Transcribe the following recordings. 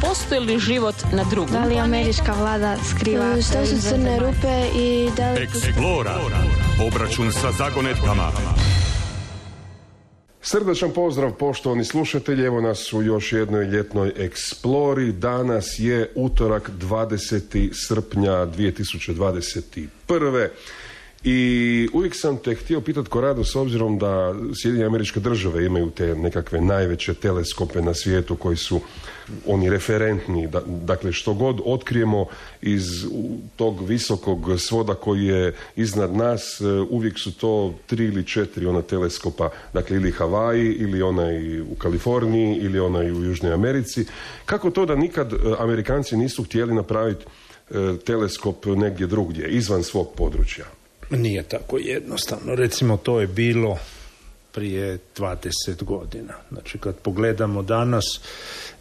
postoji li život na drugom? Da li američka vlada skriva? Što su crne rupe i da li... Explora. Obračun sa zagonetkama. Srdačan pozdrav poštovani slušatelji, evo nas u još jednoj ljetnoj eksplori. Danas je utorak 20. srpnja 2021. I uvijek sam te htio pitati, Korado, s obzirom da Sjedinjene Američke Države imaju te nekakve najveće teleskope na svijetu koji su oni referentni, dakle što god otkrijemo iz tog visokog svoda koji je iznad nas, uvijek su to 3 ili 4 ona teleskopa, dakle ili Havaji, ili onaj u Kaliforniji, ili onaj u Južnoj Americi. Kako to da nikad Amerikanci nisu htjeli napraviti teleskop negdje drugdje, izvan svog područja? Nije tako jednostavno. Recimo, to je bilo prije 20 godina. Znači, kad pogledamo danas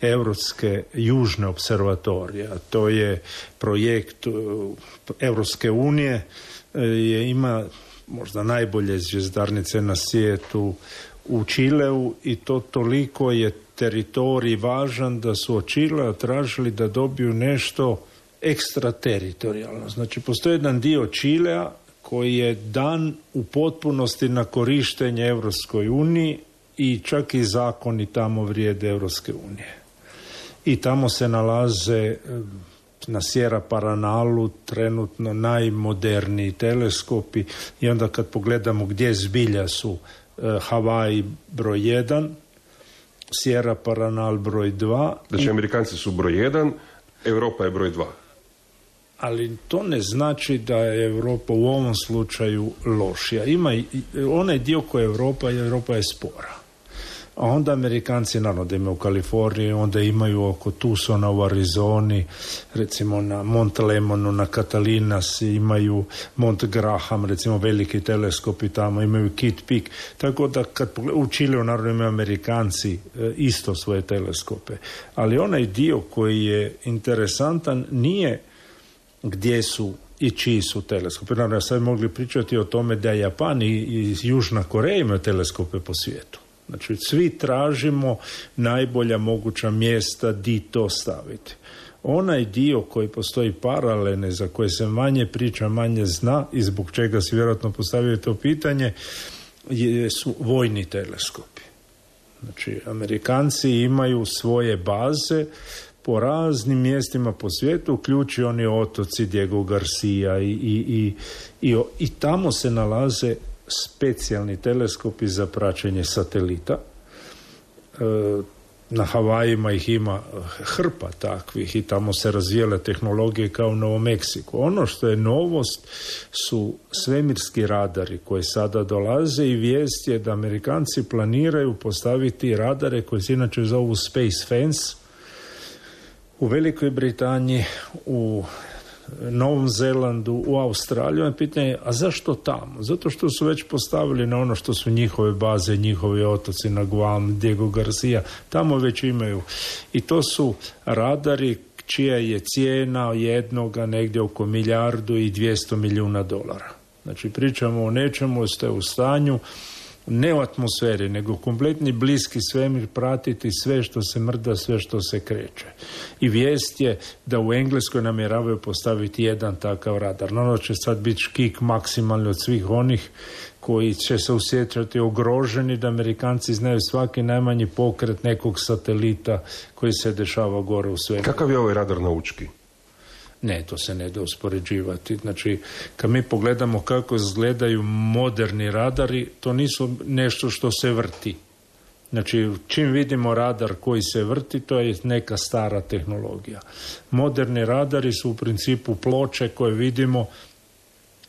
Europske južne observatorije, a to je projekt Europske unije, ima možda najbolje zvjezdarnice na svijetu u Čileu i to toliko je teritorij važan da su od Čilea tražili da dobiju nešto ekstrateritorijalno. Znači, postoji jedan dio Čilea koji je dan u potpunosti na korištenje Europskoj uniji i čak i zakoni tamo vrijede Europske unije. I tamo se nalaze na Sierra Paranalu trenutno najmoderniji teleskopi i onda kad pogledamo gdje zbilja su Havaji broj 1, Sierra Paranal broj 2. Znači Amerikanci su broj 1, Europa je broj 2. Ali to ne znači da je Europa u ovom slučaju lošija. Ima onaj dio koji je Europa je spora. A onda Amerikanci, naravno da imaju u Kaliforniji, onda imaju oko Tucsona u Arizoni, recimo na Mont Lemonu, na Catalinas, imaju Mont Graham, recimo veliki teleskopi tamo, imaju Kitt Peak. Tako da kad u Čileu naravno imaju Amerikanci isto svoje teleskope. Ali onaj dio koji je interesantan nije gdje su i čiji su teleskopi. Naravno, sad mogli pričati o tome da Japan i Južna Koreja imaju teleskope po svijetu. Znači, svi tražimo najbolja moguća mjesta di to staviti. Onaj dio koji postoji paralelne, za koje se manje priča, manje zna i zbog čega se vjerojatno postavio to pitanje, su vojni teleskopi. Znači, Amerikanci imaju svoje baze po raznim mjestima po svijetu, uključi oni otoci Diego Garcia i tamo se nalaze specijalni teleskopi za praćenje satelita. Na Havajima ih ima hrpa takvih i tamo se razvijale tehnologije kao u Novom Meksiku. Ono što je novost su svemirski radari koji sada dolaze i vijest je da Amerikanci planiraju postaviti radare koji se inače zovu Space Fence u Velikoj Britaniji, u Novom Zelandu, u Australiji. Je pitanje, a zašto tamo? Zato što su već postavili na ono što su njihove baze, njihovi otoci na Guam, Diego Garcia, tamo već imaju. I to su radari čija je cijena jednoga negdje oko $1,2 milijuna. Znači, pričamo o nečemu što je u stanju ne u atmosferi, nego kompletni bliski svemir, pratiti sve što se mrda, sve što se kreće. I vijest je da u Engleskoj namjeravaju postaviti jedan takav radar. No, će sad biti škik maksimalni od svih onih koji će se osjećati ugroženi, da Amerikanci znaju svaki najmanji pokret nekog satelita koji se dešava gore u svemiru. Kakav je ovaj radar naučki? Ne, to se ne da uspoređivati. Znači, kad mi pogledamo kako izgledaju moderni radari, to nisu nešto što se vrti. Znači, čim vidimo radar koji se vrti, to je neka stara tehnologija. Moderni radari su u principu ploče koje vidimo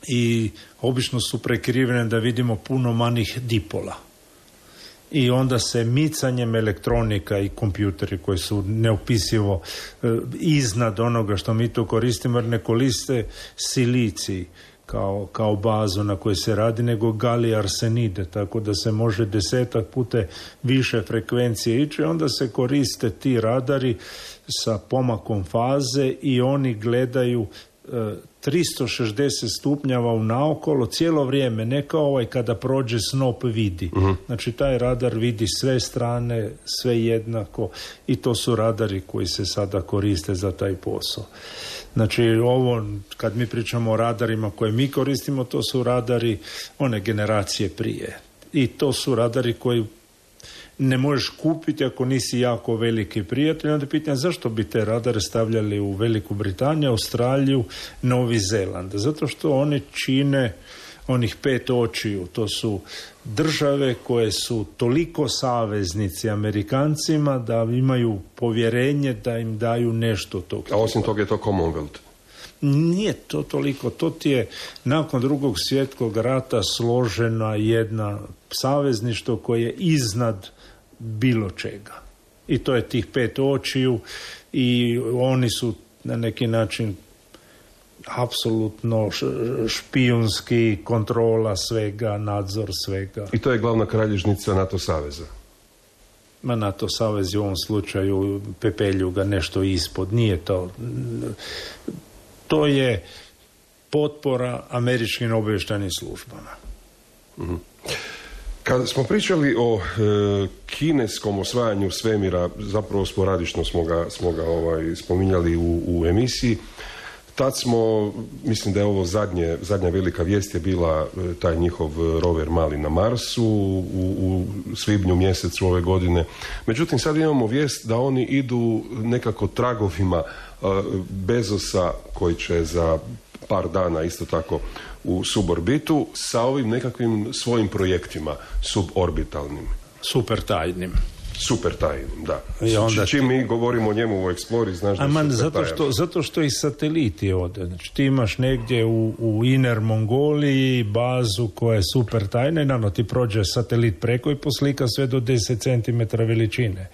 i obično su prekrivene da vidimo puno manjih dipola. I onda se micanjem elektronika i kompjuteri koji su neopisivo iznad onoga što mi tu koristimo, jer ne koriste silicij kao bazu na kojoj se radi, nego galij arsenide, tako da se može 10 puta više frekvencije ići. Onda se koriste ti radari sa pomakom faze i oni gledaju 360 stupnjeva unaokolo cijelo vrijeme, ne kao kada prođe snop vidi. Znači taj radar vidi sve strane, sve jednako, i to su radari koji se sada koriste za taj posao. Znači ovo, kad mi pričamo o radarima koje mi koristimo, to su radari one generacije prije. I to su radari koji ne možeš kupiti ako nisi jako veliki prijatelj. Onda pitanje zašto bi te radare stavljali u Veliku Britaniju, Australiju, Novi Zeland. Zato što oni čine onih 5 očiju. To su države koje su toliko saveznici Amerikancima da imaju povjerenje da im daju nešto tog. A osim toga je to Commonwealth. Nije to toliko. To ti je nakon Drugog svjetskog rata složena jedna savezništvo koje je iznad bilo čega. I to je tih 5 očiju i oni su na neki način apsolutno špijunski, kontrola svega, nadzor svega. I to je glavna kralježnica NATO saveza. NATO savez u ovom slučaju pepelju ga nešto ispod. Nije to. To je potpora američkim obavještajnim službama. Kad smo pričali o kineskom osvajanju svemira, zapravo sporadično smo ga spominjali u emisiji, tad smo, mislim da je ovo zadnja velika vijest je bila taj njihov rover mali na Marsu u svibnju mjesecu ove godine. Međutim, sad imamo vijest da oni idu nekako tragovima Bezosa, koji će za par dana isto tako u suborbitu, sa ovim nekakvim svojim projektima suborbitalnim. Super tajnim, da. I onda čim mi govorimo o njemu u Explori, znaš da je super tajan. Zato što i sateliti ode. Znači, ti imaš negdje u Inner Mongoliji bazu koja je super tajna i naravno ti prođe satelit preko i poslika sve do 10 cm veličine.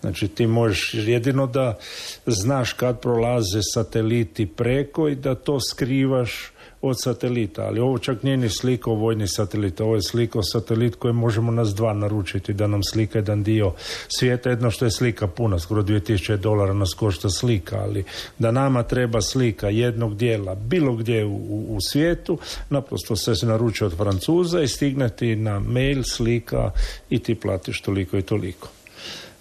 Znači ti možeš jedino da znaš kad prolaze sateliti preko i da to skrivaš od satelita, ali ovo čak nije ni slikao vojni satelit, ovo je slikao satelit koji možemo nas 2 naručiti da nam slika jedan dio svijeta. Jedno što je slika puna, skoro $2000 nas košta slika, ali da nama treba slika jednog dijela bilo gdje u svijetu, naprosto se naruči od Francuza i stigne ti na mail slika i ti platiš toliko i toliko.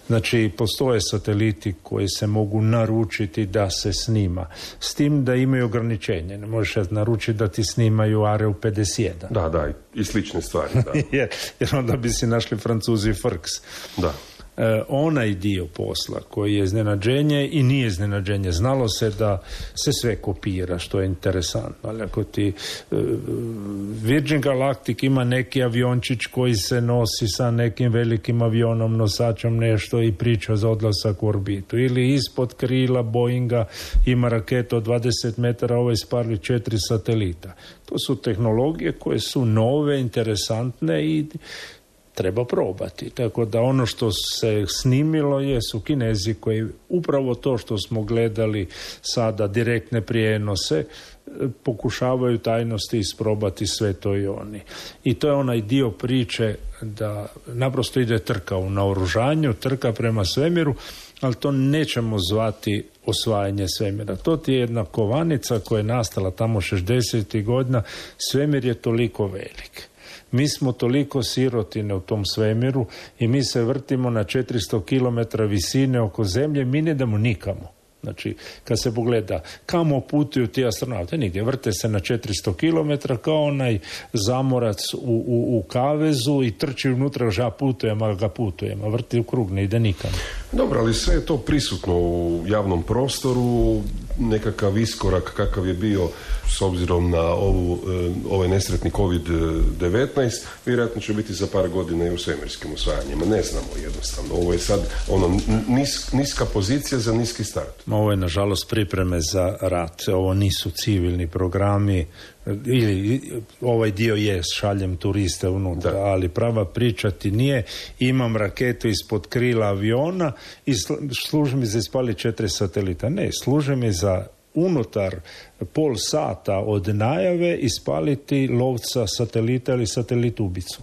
Znači, postoje sateliti koji se mogu naručiti da se snima. S tim da imaju ograničenje. Ne možeš naručiti da ti snimaju Areu 51. Da, i slične stvari. Da. jer onda bi si našli Francuzi frks. Da. Onaj dio posla koji je iznenađenje i nije iznenađenje. Znalo se da se sve kopira, što je interesantno. Ali ako ti Virgin Galactic ima neki aviončić koji se nosi sa nekim velikim avionom, nosačom nešto i priča za odlasak u orbitu. Ili ispod krila Boeinga ima raketu od 20 metara, ovo ispali 4 satelita. To su tehnologije koje su nove, interesantne i treba probati. Tako da ono što se snimilo su Kinezi koji upravo to što smo gledali sada, direktne prijenose, pokušavaju tajnosti isprobati sve to i oni. I to je onaj dio priče da naprosto ide trka u naoružanju, trka prema svemiru, ali to nećemo zvati osvajanje svemira. To ti je jedna kovanica koja je nastala tamo 60. godina. Svemir je toliko velik. Mi smo toliko sirotine u tom svemiru i mi se vrtimo na 400 km visine oko zemlje, mi ne idemo nikamo. Znači, kad se pogleda kamo putuju ti astronauti, nigdje, vrte se na 400 km kao onaj zamorac u kavezu i trči unutra, ža putujem, a vrti u krug, ne ide nikamo. Dobro, ali sve je to prisutno u javnom prostoru, nekakav iskorak kakav je bio s obzirom na ovaj nesretni COVID-19, vjerojatno će biti za par godina i u svemirskim osvajanjima. Ne znamo jednostavno. Ovo je sad niska pozicija za niski start. Ovo je nažalost pripreme za rat. Ovo nisu civilni programi, ili ovaj dio je šaljem turiste unutra, ali prava priča ti nije imam raketu ispod krila aviona i služi mi za ispali 4 satelita. Ne, služi mi za unutar pol sata od najave ispaliti lovca satelita ili satelit ubicu.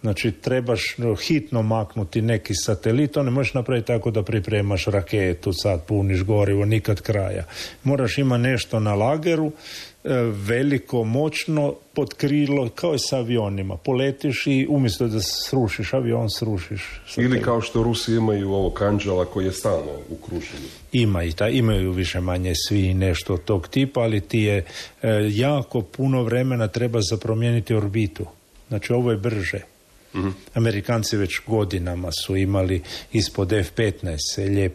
Znači, trebaš hitno maknuti neki satelit, to ne možeš napraviti tako da pripremaš raketu, sad puniš gorivo, nikad kraja. Moraš imati nešto na lageru, veliko, moćno, pod krilo, kao i sa avionima. Poletiš i umjesto da srušiš avion, srušiš satelit. Ili kao što Rusi imaju ovog Anđela koji je stalno u kruženju. Imaju više manje svi nešto od tog tipa, ali ti je jako puno vremena treba za promijeniti orbitu. Znači, ovo je brže. Amerikanci već godinama su imali ispod F-15 se lijep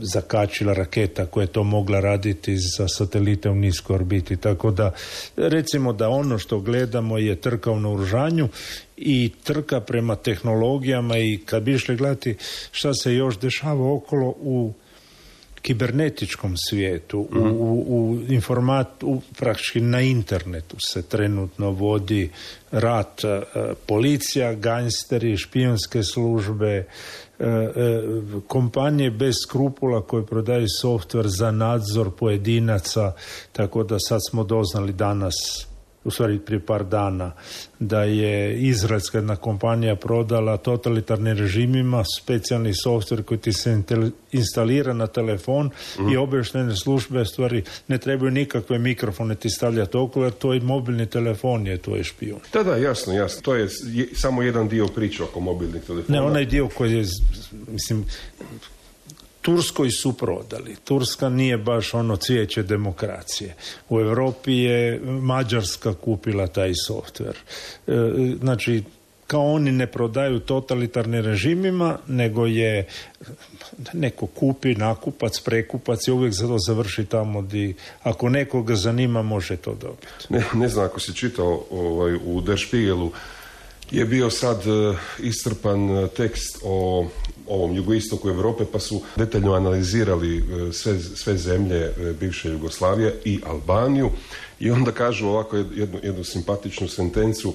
zakačila raketa koja je to mogla raditi za satelite u niskoj orbiti. Tako da, recimo da ono što gledamo je trka u naoružanju i trka prema tehnologijama, i kad bi išli gledati šta se još dešava okolo u kibernetičkom svijetu, praktički na internetu se trenutno vodi rat, policija, gangsteri, špijunske službe, kompanije bez skrupula koje prodaju softver za nadzor pojedinaca, tako da sad smo doznali danas, u stvari prije par dana, da je izraelska jedna kompanija prodala totalitarnim režimima specijalni softver koji ti se instalira na telefon i obavještajne službe stvari ne trebaju nikakve mikrofone ti stavljati okolo, jer to je mobilni telefon, je tvoj špijun. Da, jasno. To je samo jedan dio priče oko mobilnih telefona. Ne, onaj dio koji je, mislim, Turskoj su prodali. Turska nije baš ono cvijeće demokracije. U Europi je Mađarska kupila taj softver. Znači, kao oni ne prodaju totalitarnim režimima, nego je neko kupi, nakupac, prekupac i uvijek za to završi tamo gdje, ako nekoga zanima, može to dobiti. Ne znam, ako si čitao u Der Spiegelu, je bio sad iscrpan tekst o ovom jugoistoku Europe, pa su detaljno analizirali sve zemlje bivše Jugoslavije i Albaniju, i onda kažu ovako jednu simpatičnu sentencu,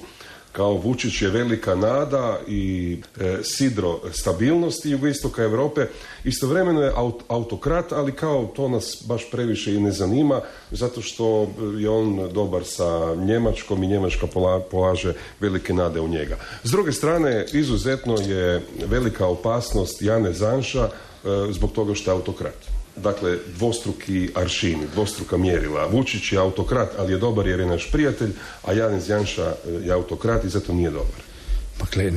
kao Vučić je velika nada i sidro stabilnosti jugoistoka Europe. Istovremeno je autokrat, ali kao to nas baš previše i ne zanima, zato što je on dobar sa Njemačkom i Njemačka polaže velike nade u njega. S druge strane, izuzetno je velika opasnost Janez Janša zbog toga što je autokrat. Dakle, dvostruki aršini, dvostruka mjerila. Vučić je autokrat, ali je dobar jer je naš prijatelj, a Janez Janša je autokrat i zato nije dobar. Dakle,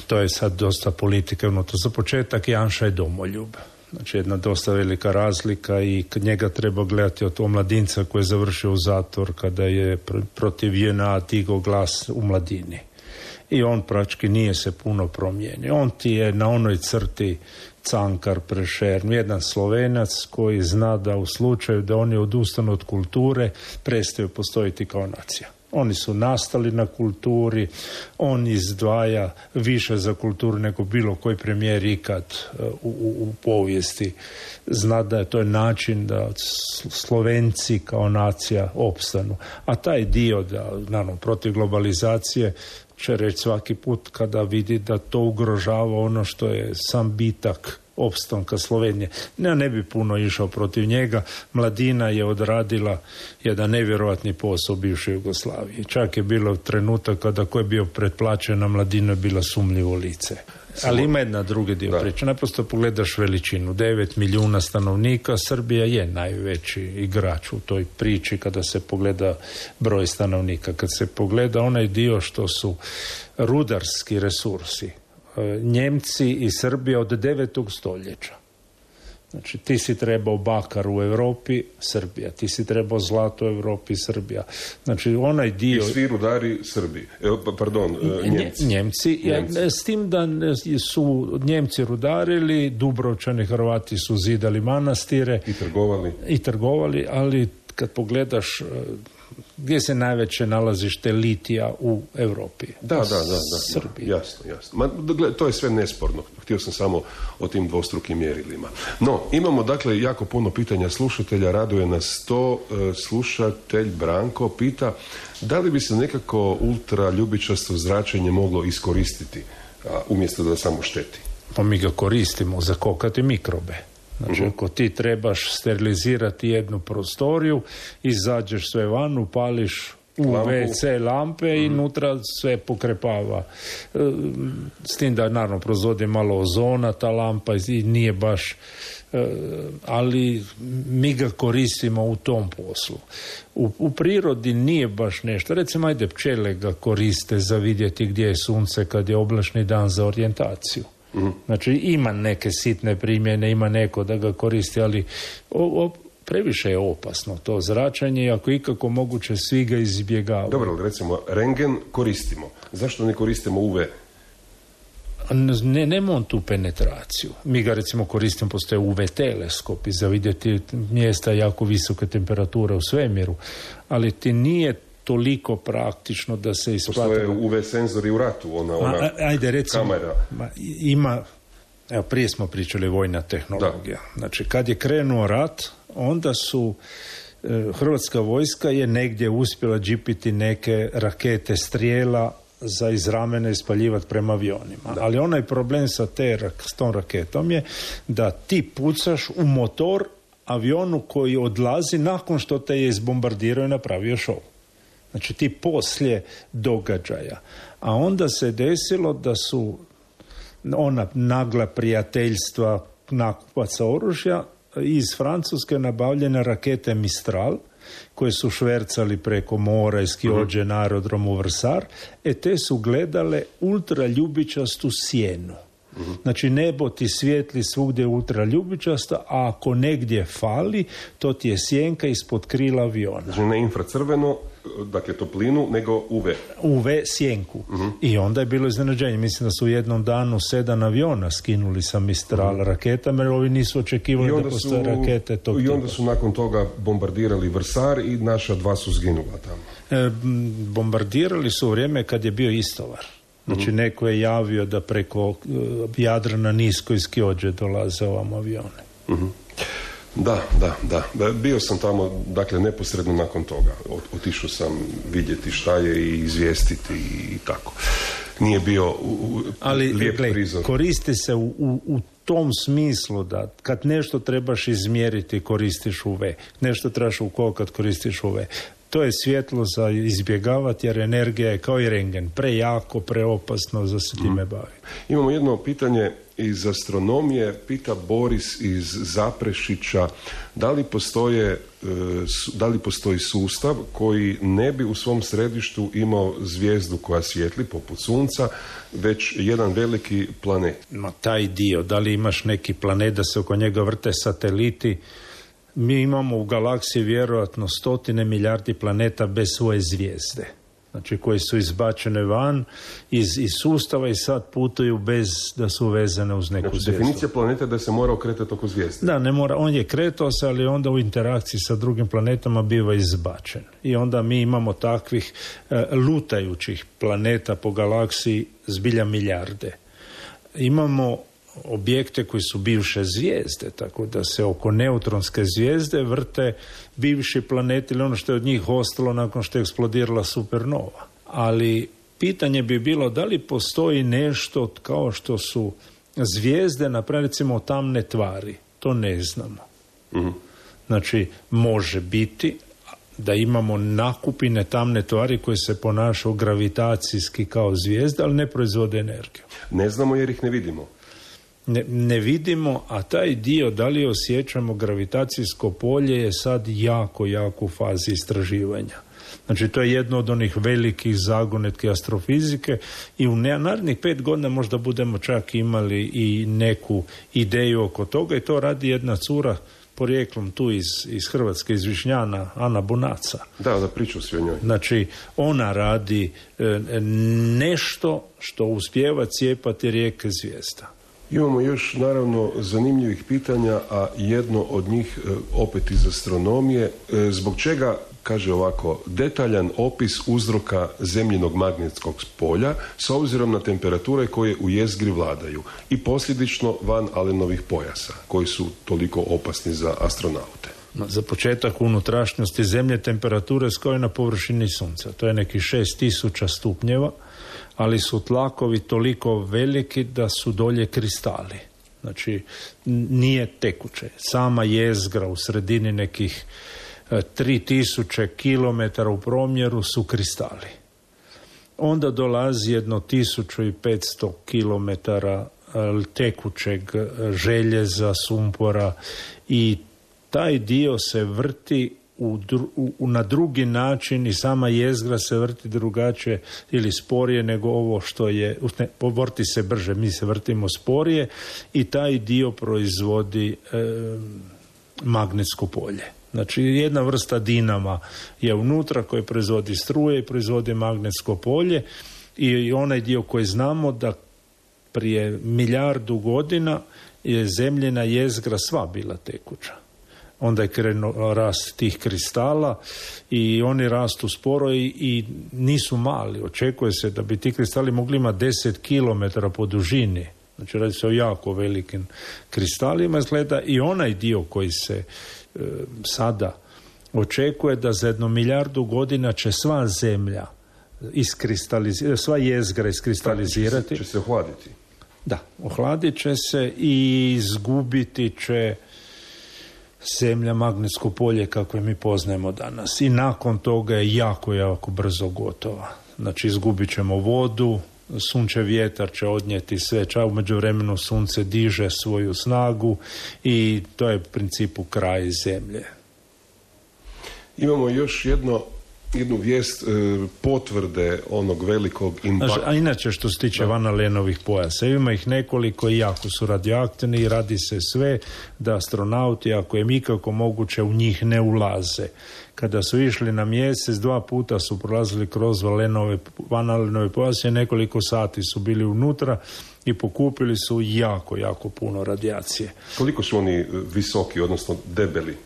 to je sad dosta politike unutra. Za početak Janša je domoljub. Znači, jedna dosta velika razlika, i kad njega treba gledati od omladinca koji je završio u zatvor kada je protiv JNA digao glas u mladini. I on praktički nije se puno promijenio. On ti je na onoj crti Cankar, Prešern, jedan Slovenac koji zna da u slučaju da oni odustanu od kulture prestaju postojiti kao nacija. Oni su nastali na kulturi, on izdvaja više za kulturu nego bilo koji premijer ikad u povijesti. Zna da je to način da Slovenci kao nacija opstanu. A taj dio, da, naravno, protiv globalizacije, će reći svaki put kada vidi da to ugrožava ono što je sam bitak opstanka Slovenije. Ne bi puno išao protiv njega. Mladina je odradila jedan nevjerojatni posao u bivšoj Jugoslaviji. Čak je bilo trenutak kada ko je bio pretplaćen na Mladinu je bila sumnjivo lice. Ali ima jedna drugi dio priče. Naprosto pogledaš veličinu. 9 milijuna stanovnika. Srbija je najveći igrač u toj priči kada se pogleda broj stanovnika. Kad se pogleda onaj dio što su rudarski resursi, Njemci i Srbija od 9. stoljeća. Znači, ti si trebao bakar u Europi, Srbija. Ti si trebao zlato u Europi, Srbija. Znači, onaj dio... I svi rudari Srbiji. Njemci. Njemci. S tim da su Njemci rudarili, Dubrovčani, Hrvati su zidali manastire. I trgovali, ali kad pogledaš gdje se najveće nalazište litija u Europi. Da. Jasno. To je sve nesporno. Htio sam samo o tim dvostrukim mjerilima. No, imamo dakle jako puno pitanja slušatelja. Raduje nas to. Slušatelj Branko pita da li bi se nekako ultraljubičasto zračenje moglo iskoristiti umjesto da samo šteti. Pa mi ga koristimo za kokati mikrobe. Znači, ako ti trebaš sterilizirati jednu prostoriju, izađeš sve van, upališ UVC lampe i unutra sve pokrepava. S tim da naravno proizvodi malo ozona ta lampa i nije baš, ali mi ga koristimo u tom poslu. U prirodi nije baš nešto. Recimo, ajde, pčele ga koriste za vidjeti gdje je sunce kad je oblačni dan za orijentaciju. Znači, ima neke sitne primjene, ima neko da ga koristi, ali previše je opasno to zračenje i ako ikako moguće svi ga izbjegavaju. Dobro, recimo, rentgen koristimo. Zašto ne koristimo UV? Nema on tu penetraciju. Mi ga recimo koristimo, postoje UV teleskopi za vidjeti mjesta jako visoke temperature u svemiru, ali ti nije toliko praktično da se isplati. Postoje UV senzori u ratu, ona ajde, recimo, kamera. Ima, evo, prije smo pričali vojna tehnologija. Da. Znači, kad je krenuo rat, onda su Hrvatska vojska je negdje uspjela džipiti neke rakete strijela za iz ramena ispaljivati prema avionima. Da. Ali onaj problem sa tom raketom je da ti pucaš u motor avionu koji odlazi nakon što te je izbombardirao i napravio šou. Znači ti poslije događaja. A onda se desilo da su ona nagla prijateljstva nakupaca oružja iz Francuske nabavljene rakete Mistral, koje su švercali preko mora iz Kiođe na aerodromu Vrsar, te su gledale ultraljubičastu sjenu. Znači nebo ti svijetli svugdje ultraljubičasta, a ako negdje fali, to ti je sjenka ispod krila aviona. Znači ne infracrveno, dakle toplinu, nego UV. UV sjenku. I onda je bilo iznenađenje. Mislim da su u jednom danu 7 aviona skinuli sa Mistral raketama, jer ovi nisu očekivali da postoje rakete tog tipa. I onda su nakon toga bombardirali Vrsar i naša 2 su zginula tamo. Bombardirali su u vrijeme kad je bio istovar. Znači neko je javio da preko Jadrana nisko iz Kiođe dolaze ovam avione. Da. Bio sam tamo, dakle, neposredno nakon toga. Otišao sam vidjeti šta je i izvijestiti i tako. Nije bio lijep prizor. Koristi se u tom smislu da kad nešto trebaš izmjeriti koristiš UV. Nešto trebaš ukokat koristiš UV. To je svjetlo za izbjegavati jer energija je kao i rentgen. Prejako, preopasno za se time bavi. Imamo jedno pitanje iz astronomije. Pita Boris iz Zaprešića da li postoji sustav koji ne bi u svom središtu imao zvijezdu koja svijetli poput Sunca, već jedan veliki planet. Taj dio, da li imaš neki planet da se oko njega vrte sateliti? Mi imamo u galaksiji vjerojatno 100 milijardi planeta bez svoje zvijezde. Znači koji su izbačene van iz sustava i sad putuju bez da su vezane uz neku zvijezdu. Definicija planeta da se mora okretati oko zvijezde. Da, ne mora, on je kretao se, ali onda u interakciji sa drugim planetama biva izbačen. I onda mi imamo takvih lutajućih planeta po galaksiji zbilja milijarde. Imamo objekte koji su bivše zvijezde, tako da se oko neutronske zvijezde vrte bivši planeti ili ono što je od njih ostalo nakon što je eksplodirala supernova. Ali pitanje bi bilo da li postoji nešto kao što su zvijezde, naprimjer recimo tamne tvari. To ne znamo. Znači, može biti da imamo nakupine tamne tvari koje se ponašaju gravitacijski kao zvijezde, ali ne proizvode energiju. Ne znamo jer ih ne vidimo. Ne vidimo, a taj dio da li osjećamo gravitacijsko polje je sad jako u fazi istraživanja. Znači to je jedno od onih velikih zagonetki astrofizike i u narednih 5 godina možda budemo čak imali i neku ideju oko toga i to radi jedna cura porijeklom tu iz Hrvatske, iz Višnjana, Ana Bunaca. Da, priču svi o njoj. Znači, ona radi nešto što uspijeva cijepati rijeke zvijezda. Imamo još, naravno, zanimljivih pitanja, a jedno od njih opet iz astronomije. Zbog čega, kaže ovako, detaljan opis uzroka zemljinog magnetskog polja s obzirom na temperature koje u jezgri vladaju i posljedično van Allenovih pojasa, koji su toliko opasni za astronaute. Za početak, u unutrašnjosti Zemlje temperature kao na površini Sunca. To je nekih 6000 stupnjeva, ali su tlakovi toliko veliki da su dolje kristali. Znači, nije tekuće. Sama jezgra u sredini nekih 3000 km u promjeru su kristali. Onda dolazi jedno 1500 km tekućeg željeza, sumpora i taj dio se vrti na drugi način i sama jezgra se vrti drugačije ili sporije nego ovo što je, vrti se brže, mi se vrtimo sporije i taj dio proizvodi magnetsko polje. Znači jedna vrsta dinama je unutra koji proizvodi struje i proizvodi magnetsko polje i onaj dio koji znamo da prije 1.000.000 godina je zemljina jezgra sva bila tekuća. Onda je krenuo rast tih kristala i oni rastu sporo i nisu mali. Očekuje se da bi ti kristali mogli imati 10 km po dužini. Znači radi se o jako velikim kristalima izgleda i onaj dio koji se sada očekuje da za 1.000.000 godina će sva zemlja sva jezgra iskristalizirati. Će se ohladiti. Da, ohladit će se i izgubiti će zemlja magnetsko polje kako je mi poznajemo danas. I nakon toga je jako, jako brzo gotova. Znači izgubit ćemo vodu, sunčev vjetar će odnijeti sve, u međuvremenu sunce diže svoju snagu i to je u principu kraj zemlje. Imamo još jednu vijest potvrde onog velikog impakta. A inače što se tiče Van Alenovih pojasa, ima ih nekoliko i jako su radioaktivni i radi se sve da astronauti, ako je ikako moguće, u njih ne ulaze. Kada su išli na mjesec, 2 puta su prolazili kroz Van Alenove pojase, nekoliko sati su bili unutra i pokupili su jako, jako puno radijacije. Koliko su oni visoki, odnosno debeli?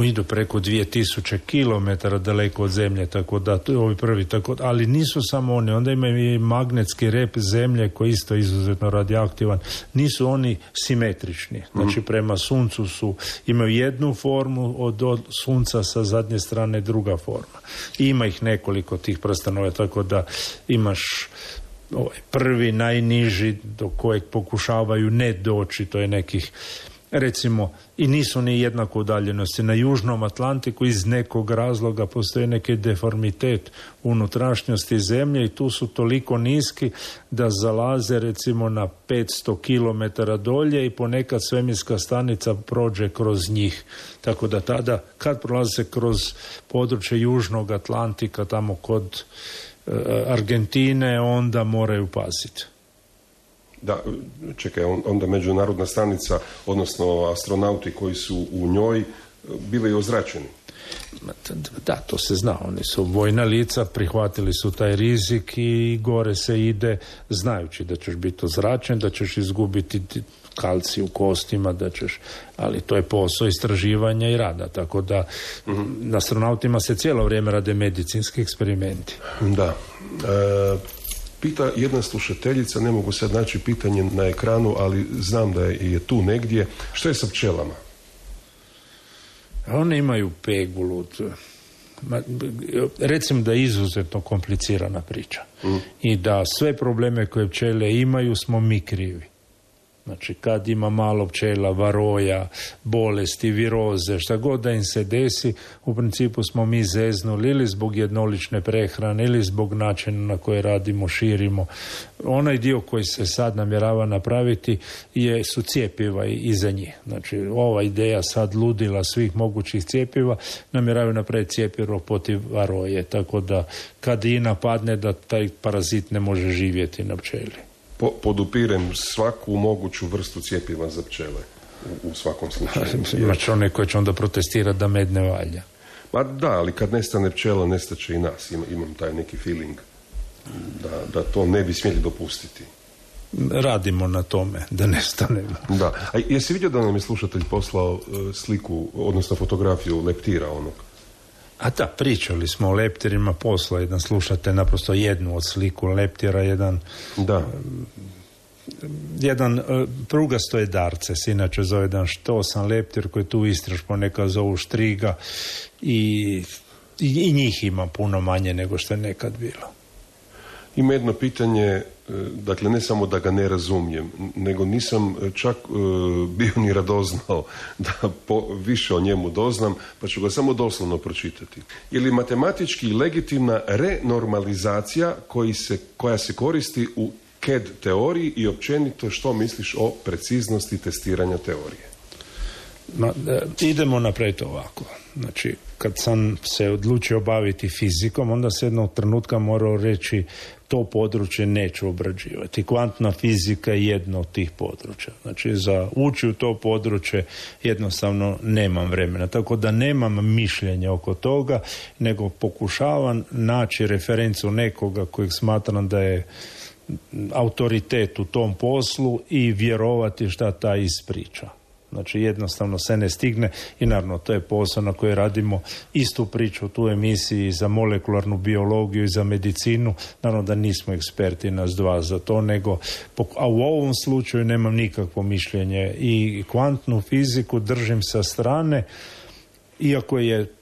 Idu preko 2000 km daleko od zemlje, tako da to je ovi prvi, ali nisu samo oni, onda imaju i magnetski rep zemlje koji je isto izuzetno radioaktivan, nisu oni simetrični, znači prema suncu imaju jednu formu, od sunca sa zadnje strane druga forma. I ima ih nekoliko tih prstenova, tako da imaš prvi, najniži do kojeg pokušavaju ne doći, to je nekih recimo, i nisu ni jednako udaljenosti. Na Južnom Atlantiku iz nekog razloga postoji neki deformitet unutrašnjosti zemlje i tu su toliko niski da zalaze recimo na 500 km dolje i ponekad svemirska stanica prođe kroz njih. Tako da tada, kad prolaze kroz područje Južnog Atlantika, tamo kod Argentine, onda moraju paziti. Da, čekaj, onda međunarodna stanica, odnosno astronauti koji su u njoj bili ozračeni. Da, to se zna, oni su vojna lica, prihvatili su taj rizik i gore se ide znajući da ćeš biti ozračen, da ćeš izgubiti kalcij u kostima, ali to je posao istraživanja i rada, tako da na astronautima se cijelo vrijeme rade medicinski eksperimenti. Da. Pita jedna slušateljica, ne mogu sad naći pitanje na ekranu, ali znam da je tu negdje. Što je sa pčelama? One imaju pegulu. Recimo da je izuzetno komplicirana priča. I da sve probleme koje pčele imaju smo mi krivi. Znači, kad ima malo pčela, varoja, bolesti, viroze, šta god da im se desi, u principu smo mi zeznuli ili zbog jednolične prehrane, ili zbog načina na koje radimo, širimo. Onaj dio koji se sad namjerava napraviti su cjepiva i za njih. Znači, ova ideja sad ludila svih mogućih cjepiva, namjeravaju napraviti cjepivo protiv varoje, tako da kad i napadne da taj parazit ne može živjeti na pčeli. Podupirem svaku moguću vrstu cjepiva za pčele u svakom slučaju. Imaš one koje će onda protestirati da med ne valja. Ma da, ali kad nestane pčela, nestaće i nas. Imam taj neki feeling da to ne bi smjeli dopustiti. Radimo na tome, da nestane. Da. A jesi vidio da nam je slušatelj poslao sliku, odnosno fotografiju leptira onog? A da, pričali smo o leptirima, posla jedan slušatelj naprosto jednu od sliku leptira, jedan prugasto je darce, se inače zove jedan štosan leptir koji tu istraž ponekad zovu štriga i njih ima puno manje nego što je nekad bilo. Ima jedno pitanje, dakle ne samo da ga ne razumijem, nego nisam čak bio ni radoznao da više o njemu doznam, pa ću ga samo doslovno pročitati. Je li matematički legitimna renormalizacija koja se koristi u CAD teoriji i općenito što misliš o preciznosti testiranja teorije? Idemo napraviti ovako. Znači, kad sam se odlučio baviti fizikom, onda se jednog trenutka morao reći to područje neću obrađivati. Kvantna fizika je jedno od tih područja. Znači, za ući u to područje jednostavno nemam vremena. Tako da nemam mišljenja oko toga, nego pokušavam naći referencu nekoga kojeg smatram da je autoritet u tom poslu i vjerovati šta taj ispriča. Znači jednostavno se ne stigne i naravno to je posao na koji radimo istu priču u tu emisiji za molekularnu biologiju i za medicinu. Naravno da nismo eksperti nas dva za to, nego a u ovom slučaju nemam nikakvo mišljenje i kvantnu fiziku držim sa strane, iako je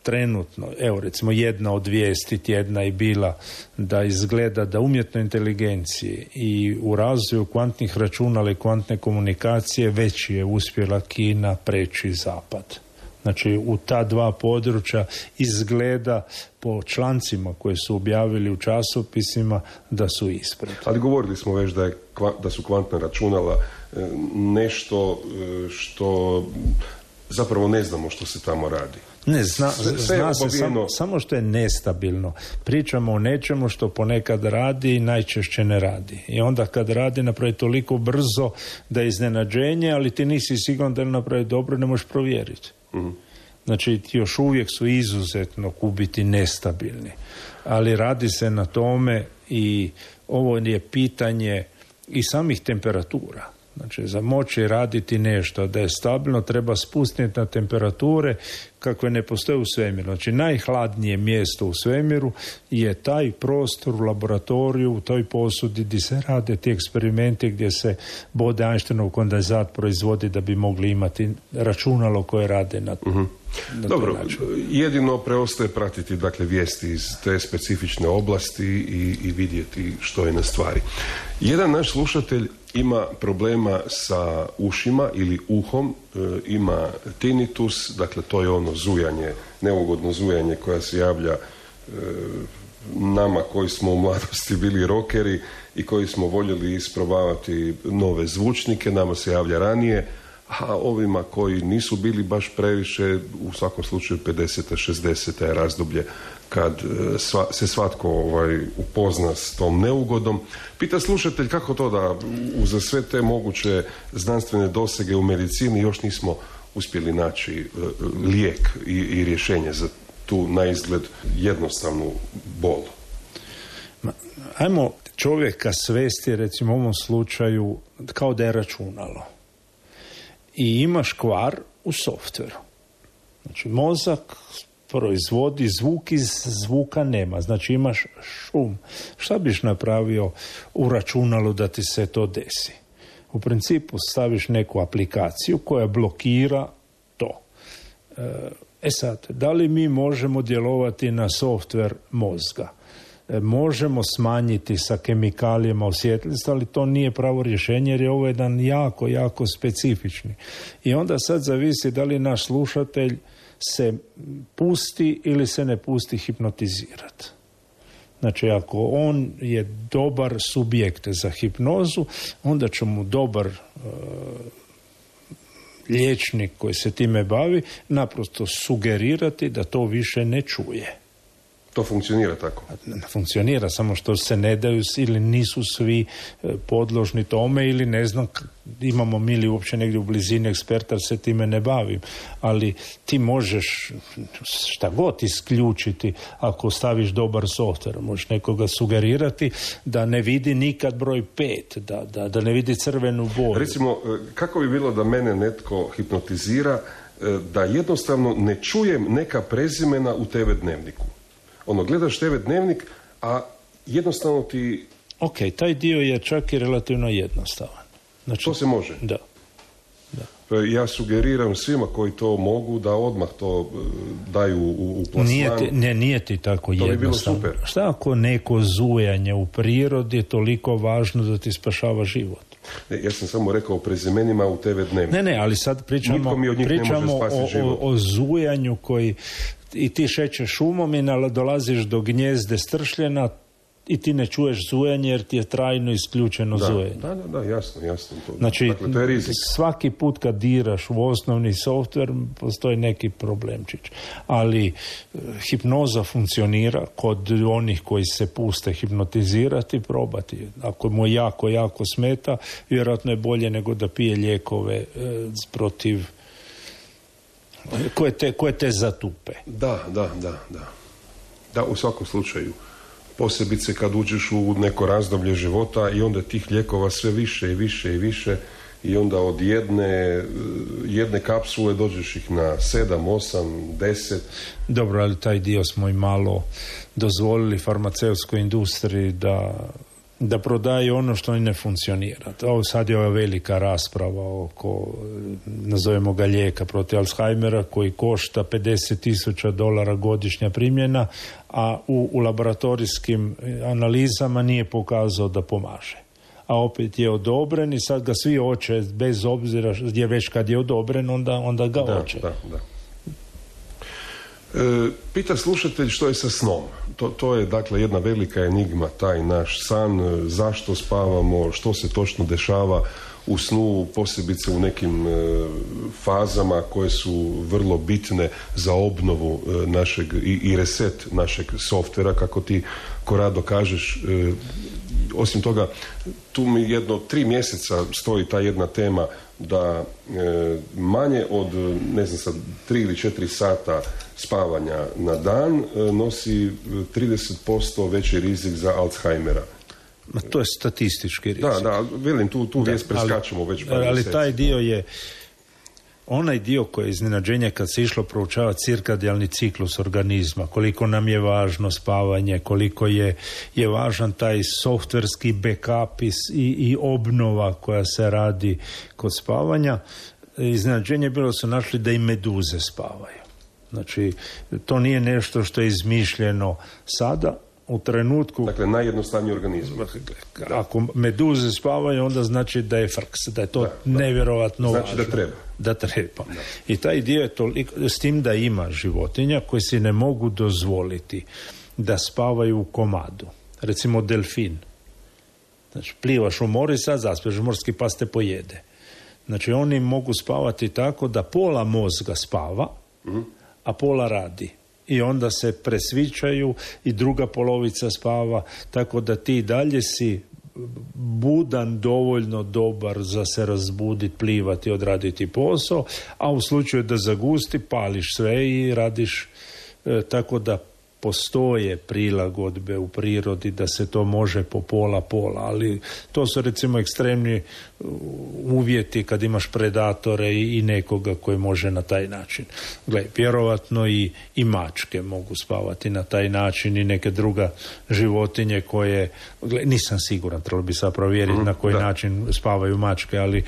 trenutno, evo recimo jedna od vijesti tjedna je bila da izgleda da umjetnoj inteligenciji i u razvoju kvantnih računala i kvantne komunikacije već je uspjela Kina preći zapad. Znači u ta dva područja izgleda po člancima koje su objavili u časopisima da su ispred. Ali govorili smo već da su kvantna računala nešto što zapravo ne znamo što se tamo radi. Ne, zna se samo što je nestabilno. Pričamo o nečemu što ponekad radi i najčešće ne radi. I onda kad radi napravi toliko brzo da je iznenađenje, ali ti nisi siguran da li napravi dobro, ne možeš provjeriti. Mm-hmm. Znači još uvijek su izuzetno kubiti nestabilni. Ali radi se na tome i ovo je pitanje i samih temperatura. Znači, za moći raditi nešto da je stabilno, treba spustiti na temperature kakve ne postoje u svemiru. Znači, najhladnije mjesto u svemiru je taj prostor u laboratoriju, u toj posudi gdje se rade ti eksperimenti, gdje se bode Einsteinov kondenzat proizvodi da bi mogli imati računalo koje rade na Dobro, jedino preostaje pratiti dakle vijesti iz te specifične oblasti i vidjeti što je na stvari. Jedan naš slušatelj ima problema sa ušima ili uhom, ima tinnitus, dakle to je ono zujanje, neugodno zujanje koja se javlja nama koji smo u mladosti bili rockeri i koji smo voljeli isprobavati nove zvučnike, nama se javlja ranije, a ovima koji nisu bili baš previše, u svakom slučaju 50. 60. je razdoblje kad se svatko upozna s tom neugodom. Pita slušatelj kako to da uza sve te moguće znanstvene dosege u medicini još nismo uspjeli naći lijek i rješenje za tu naizgled jednostavnu bol. Ajmo čovjeka svesti recimo u ovom slučaju kao da je računalo. I imaš kvar u softveru. Znači, mozak proizvodi zvuk, iz zvuka nema. Znači, imaš šum. Šta biš napravio u računalu da ti se to desi? U principu staviš neku aplikaciju koja blokira to. Sad, da li mi možemo djelovati na softver mozga? Možemo smanjiti sa kemikalijama osjetljivost, ali to nije pravo rješenje jer je ovo jedan jako, jako specifični. I onda sad zavisi da li naš slušatelj se pusti ili se ne pusti hipnotizirati. Znači, ako on je dobar subjekt za hipnozu, onda će mu dobar liječnik koji se time bavi naprosto sugerirati da to više ne čuje. To funkcionira tako? Funkcionira, samo što se ne daju ili nisu svi podložni tome ili ne znam, imamo mi li uopće negdje u blizini eksperta se time ne bavim. Ali ti možeš šta god isključiti ako staviš dobar softver. Možeš nekoga sugerirati da ne vidi nikad broj 5, da ne vidi crvenu boju. Recimo, kako bi bilo da mene netko hipnotizira da jednostavno ne čujem neka prezimena u TV dnevniku? Gledaš TV dnevnik, a jednostavno ti... Ok, taj dio je čak i relativno jednostavan. Znači, to se može? Da. Ja sugeriram svima koji to mogu da odmah to daju u plasman. Nije ti tako jednostavno. To bi bilo super. Šta ako neko zujanje u prirodi je toliko važno da ti spašava život? Ja sam samo rekao o prezimenima u TV Dnevniku. Ne, ali sad pričamo o zujanju koji i ti šećeš šumom i dolaziš do gnjezde stršljena i ti ne čuješ zujanje jer ti je trajno isključeno zujanje. Da, jasno. Znači, dakle, to je rizik. Svaki put kad diraš u osnovni softver postoji neki problemčić. Ali hipnoza funkcionira kod onih koji se puste hipnotizirati, probati. Ako mu jako smeta, vjerojatno je bolje nego da pije lijekove protiv koje te zatupe. Da, u svakom slučaju. Posebice kad uđeš u neko razdoblje života i onda tih lijekova sve više i onda od jedne kapsule dođeš ih na 7, 8, 10. Dobro, ali taj dio smo i malo dozvolili farmaceutskoj industriji da prodaje ono što ne funkcionira. Ovo sad je ova velika rasprava oko, nazovemo ga, lijeka protiv Alzheimera koji košta $50,000 godišnja primjena, a u laboratorijskim analizama nije pokazao da pomaže. A opet je odobren i sad ga svi hoće, bez obzira gdje već kad je odobren, onda ga hoće. Da. Pita slušatelj što je sa snom. To je dakle jedna velika enigma, taj naš san, zašto spavamo, što se točno dešava u snu, posebice u nekim fazama koje su vrlo bitne za obnovu našeg i reset našeg softvera, kako ti, Korado, kažeš. Osim toga, tu mi 3 mjeseca stoji ta jedna tema da manje od, 3 ili 4 sata spavanja na dan nosi 30% veći rizik za Alzheimera. To je statistički rizik. Da, velim, tu vijest preskačemo već par mjeseci. Ali taj dio je onaj dio koji je iznenađenje kad se išlo proučavati cirkadijalni ciklus organizma, koliko nam je važno spavanje, koliko je važan taj softverski backup i obnova koja se radi kod spavanja. Iznenađenje bilo su našli da i meduze spavaju. Znači, to nije nešto što je izmišljeno sada, u trenutku... Dakle, najjednostavniji organizam. Ako meduze spavaju, onda znači da je frks, da je to nevjerovatno važno. Znači da treba. I taj dio je toliko, s tim da ima životinja koji si ne mogu dozvoliti da spavaju u komadu. Recimo delfin. Znači, plivaš u mori, sad zaspeš, morski pas te pojede. Znači, oni mogu spavati tako da pola mozga spava, a pola radi. I onda se presvičaju i druga polovica spava, tako da ti dalje si budan, dovoljno dobar za se razbuditi, plivati, odraditi posao, a u slučaju da zagusti, pališ sve i radiš, tako da postoje prilagodbe u prirodi da se to može po pola, ali to su recimo ekstremni uvjeti kad imaš predatore i nekoga koji može na taj način. Gle, vjerovatno i mačke mogu spavati na taj način i neke druga životinje koje, nisam siguran, trebalo bi sad provjeriti na koji način spavaju mačke, ali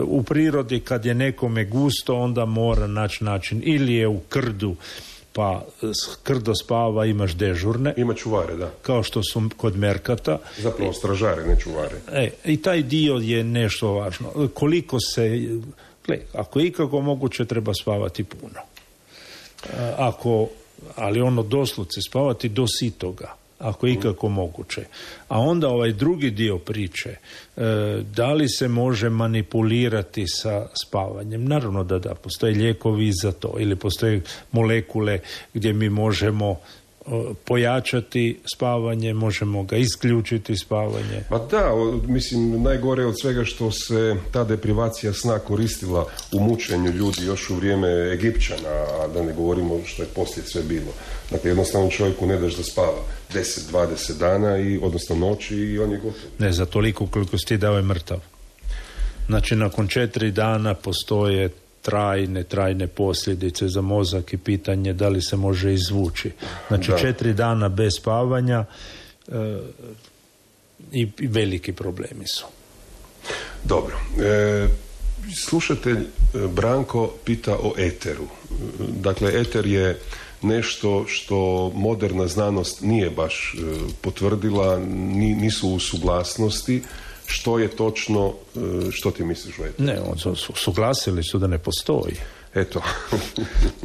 u prirodi kad je nekome gusto, onda mora naći način, ili je u krdu, pa krdo spava, imaš dežurne. Ima čuvare, da. Kao što su kod merkata. Zapravo stražare, ne čuvare. I taj dio je nešto važno. Koliko se... ako je ikako moguće, treba spavati puno. Ali ono doslovce spavati do sitoga. Ako je ikako moguće. A onda ovaj drugi dio priče, da li se može manipulirati sa spavanjem? Naravno da, postoje lijekovi za to, ili postoje molekule gdje mi možemo pojačati spavanje, možemo ga isključiti spavanje. Pa da, mislim, najgore od svega što se ta deprivacija sna koristila u mučenju ljudi još u vrijeme Egipćana, a da ne govorimo što je poslije sve bilo. Dakle, jednostavno čovjeku ne daš da spava 10-20 dana, odnosno noći, i on je gotov. Ne, za toliko koliko si ti dao je mrtav. Znači, nakon 4 dana postoje trajne posljedice za mozak i pitanje da li se može izvući. Znači, 4 dana bez spavanja i veliki problemi su. Dobro. Slušatelj Branko pita o eteru. Dakle, eter je nešto što moderna znanost nije baš potvrdila, nisu u suglasnosti. Što je točno, što ti misliš o eteru? Ne, suglasili su da ne postoji. Eto.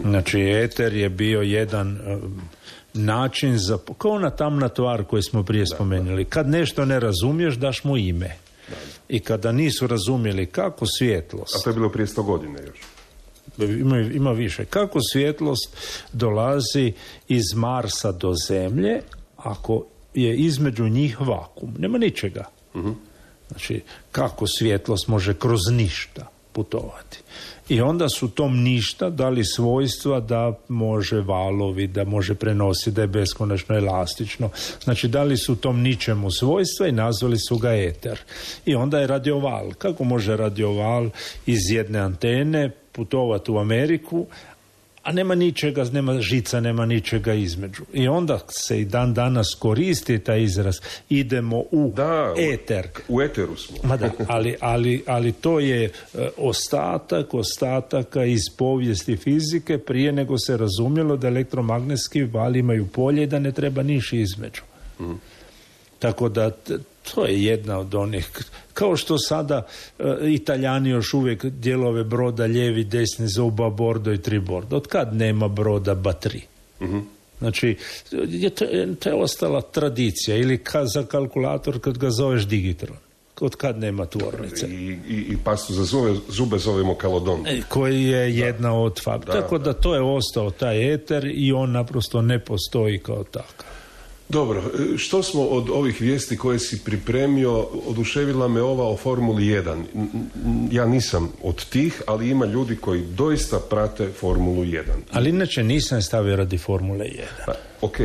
Znači, eter je bio jedan način za, kao ona tamna tvar koju smo prije spomenuli. Kad nešto ne razumiješ, daš mu ime. I kada nisu razumjeli kako svjetlost... A to je bilo prije 100 godina još. Ima više. Kako svjetlost dolazi iz Marsa do Zemlje ako je između njih vakum. Nema ničega. Znači, kako svjetlost može kroz ništa putovati. I onda su tom ništa dali svojstva da može valovi, da može prenositi, da je beskonačno elastično. Znači, dali su tom ničemu svojstva i nazvali su ga eter. I onda je radioval. Kako može radioval iz jedne antene putovati u Ameriku, a nema ničega, nema žica, nema ničega između. I onda se i dan danas koristi taj izraz. Idemo u eter. U eteru smo. Ma da, ali to je ostataka iz povijesti fizike prije nego se razumjelo da elektromagnetski vali imaju polje i da ne treba niši između. Tako da to je jedna od onih, kao što sada Italijani još uvijek dijelove broda lijevi, desni zoba, bordo i tribordo. Od kad nema broda ba tri? Znači, to je ostala tradicija. Ili za kalkulator kad ga zoveš digitron. Od kad nema tvornice. I pastu za zube zovemo kalodon. Koji je jedna od faktora. Tako da to je ostao taj eter i on naprosto ne postoji kao takav. Dobro, što smo od ovih vijesti koje si pripremio, oduševila me ova o Formuli 1. Ja nisam od tih, ali ima ljudi koji doista prate Formulu 1. Ali inače nisam stavio radi Formule 1. Pa, ok,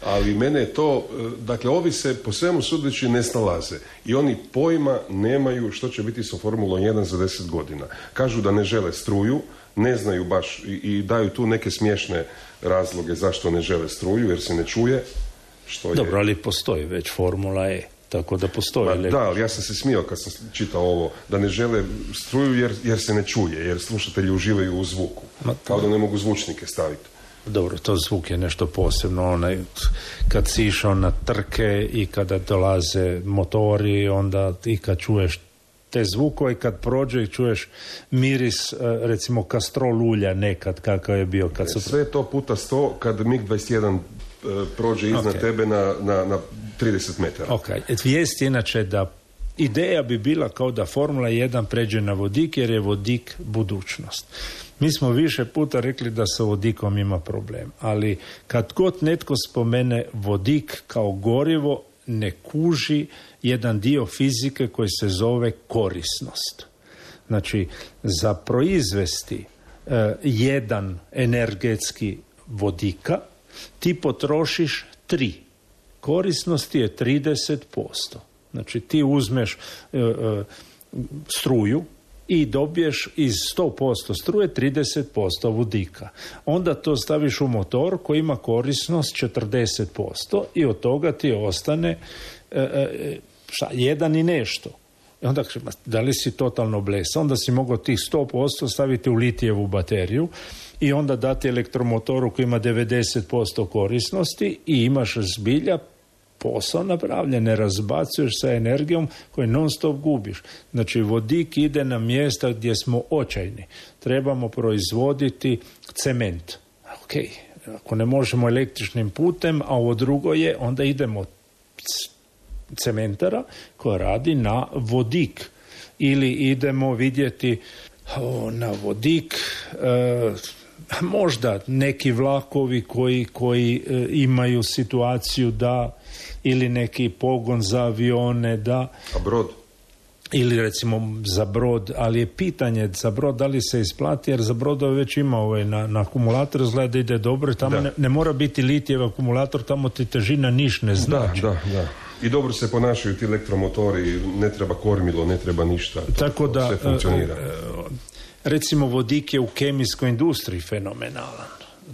ali mene je to, dakle, ovi se po svemu sudeći ne snalaze i oni pojma nemaju što će biti sa Formulom 1 za 10 godina. Kažu da ne žele struju, ne znaju baš i daju tu neke smiješne razloge zašto ne žele struju, jer se ne čuje. Dobro, ali postoji već Formula E, tako da postoji. Da, ali ja sam se smijao kad sam čitao ovo, da ne žele struju jer se ne čuje, jer slušatelji uživaju u zvuku, kao da ne mogu zvučnike staviti. Dobro, to zvuk je nešto posebno, kad si išao na trke i kada dolaze motori, onda i kad čuješ te zvukove, kad prođe i čuješ miris, recimo kastrol ulja nekad, kakav je bio kad su... Sve to puta 100 kad MiG-21 prođe iznad tebe na 30 metara. Ok, vijest je inače da ideja bi bila kao da Formula 1 pređe na vodik, jer je vodik budućnost. Mi smo više puta rekli da sa vodikom ima problem, ali kad god netko spomene vodik kao gorivo, ne kuži jedan dio fizike koji se zove korisnost. Znači, za proizvesti jedan energetski vodika ti potrošiš 3. Korisnost je 30%. Znači, ti uzmeš struju i dobiješ iz 100% struje 30% vodika. Onda to staviš u motor koji ima korisnost 40% i od toga ti ostane 1 i nešto. I onda da li si totalno blesa? Onda si mogao tih 100% staviti u litijevu bateriju i onda dati elektromotoru koji ima 90% korisnosti i imaš zbilja posao napravljen, ne razbacuješ sa energijom koju non stop gubiš. Znači, vodik ide na mjesta gdje smo očajni. Trebamo proizvoditi cement. Ok, ako ne možemo električnim putem, a ovo drugo je, onda idemo cementara koja radi na vodik. Ili idemo vidjeti na vodik možda neki vlakovi koji imaju situaciju da, ili neki pogon za avione da... A brod? Ili recimo za brod, ali je pitanje za brod da li se isplati, jer za brodove već ima na akumulator, izgleda da ide dobro, tamo ne mora biti litijev akumulator, tamo ti težina niš ne znači. Da. I dobro se ponašaju ti elektromotori, ne treba kormilo, ne treba ništa. Tako da sve funkcionira. Recimo vodik je u kemijskoj industriji fenomenalan.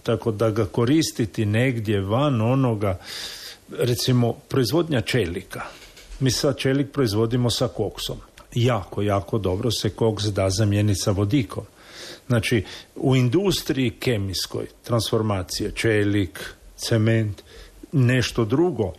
Tako da ga koristiti negdje van onoga, recimo proizvodnja čelika. Mi sad čelik proizvodimo sa koksom. jako, jako dobro se koks da zamijeniti sa vodikom. Znači, u industriji kemijskoj transformacije, čelik, cement, nešto drugo,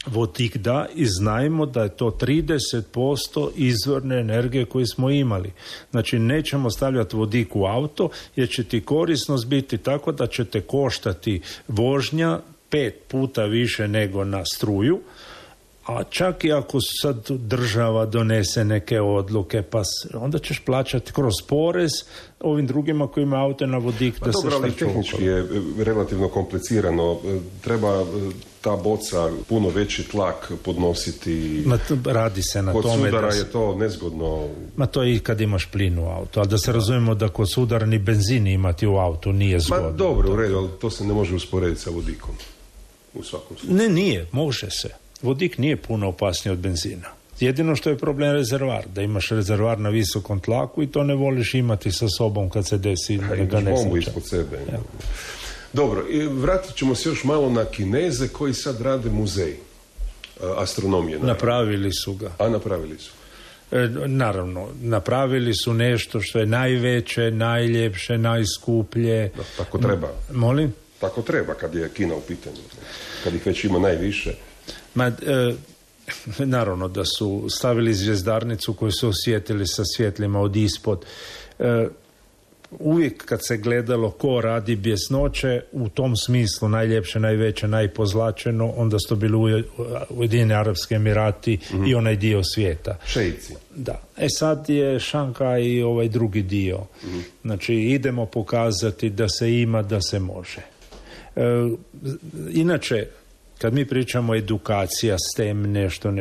vodik da i znajmo da je to 30% izvorne energije koju smo imali. Znači, nećemo stavljati vodik u auto jer će ti korisnost biti tako da će te koštati vožnja 5 puta više nego na struju, a čak i ako sad država donese neke odluke, pa onda ćeš plaćati kroz porez ovim drugima koji imaju auto na vodik da se šta čuva. Ali tehnički je relativno komplicirano. Treba ta boca puno veći tlak podnositi. Radi se na kod tome. Kod sudara je to nezgodno. To je i kad imaš plin u auto. Ali da se razumijemo da kod sudara ni benzin imati u autu nije zgodno. Dobro, u redu, ali to se ne može usporediti sa vodikom. U svakom slučaju. Nije, može se. Vodik nije puno opasniji od benzina. Jedino što je problem rezervar, da imaš rezervar na visokom tlaku i to ne voliš imati sa sobom kad se desi neka nesreća. Ispod sebe. Ja. Dobro, i vratit ćemo se još malo na Kineze koji sad rade muzej astronomije. Napravili su ga. A napravili su? Naravno, napravili su nešto što je najveće, najljepše, najskuplje. Da, tako treba. Molim? Tako treba kad je Kina u pitanju. Kad ih već ima najviše. Naravno da su stavili zvjezdarnicu koju su osvijetili sa svjetlima od ispod. Uvijek kad se gledalo ko radi bjesnoće, u tom smislu najljepše, najveće, najpozlačeno, onda su to bili Ujedinjeni Arapski Emirati i onaj dio svijeta. Šeici. Da. Sad je Šanghaj i ovaj drugi dio. Znači idemo pokazati da se ima, da se može. Inače, kad mi pričamo edukacija, STEM, nešto,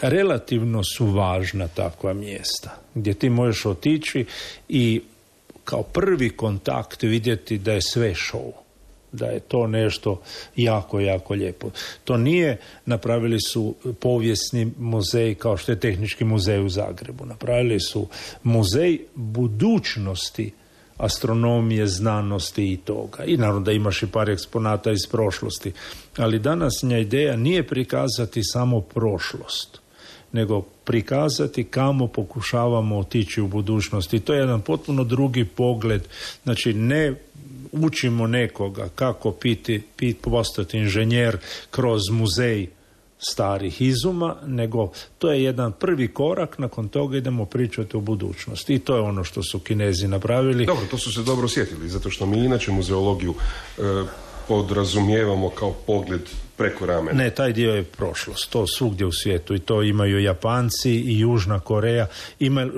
relativno su važna takva mjesta gdje ti možeš otići i kao prvi kontakt vidjeti da je sve show, da je to nešto jako, jako lijepo. To nije, napravili su povijesni muzej kao što je Tehnički muzej u Zagrebu. Napravili su muzej budućnosti astronomije, znanosti i toga. I naravno da imaš i par eksponata iz prošlosti. Ali današnja ideja nije prikazati samo prošlost, nego prikazati kamo pokušavamo otići u budućnosti. I to je jedan potpuno drugi pogled. Znači, ne učimo nekoga kako postati inženjer kroz muzej starih izuma, nego to je jedan prvi korak, nakon toga idemo pričati o budućnosti. I to je ono što su Kinezi napravili. Dobro, to su se dobro osjetili, zato što mi inače muzeologiju podrazumijevamo kao pogled preko ramena. Ne, taj dio je prošlost, to svugdje u svijetu i to imaju Japanci i Južna Koreja.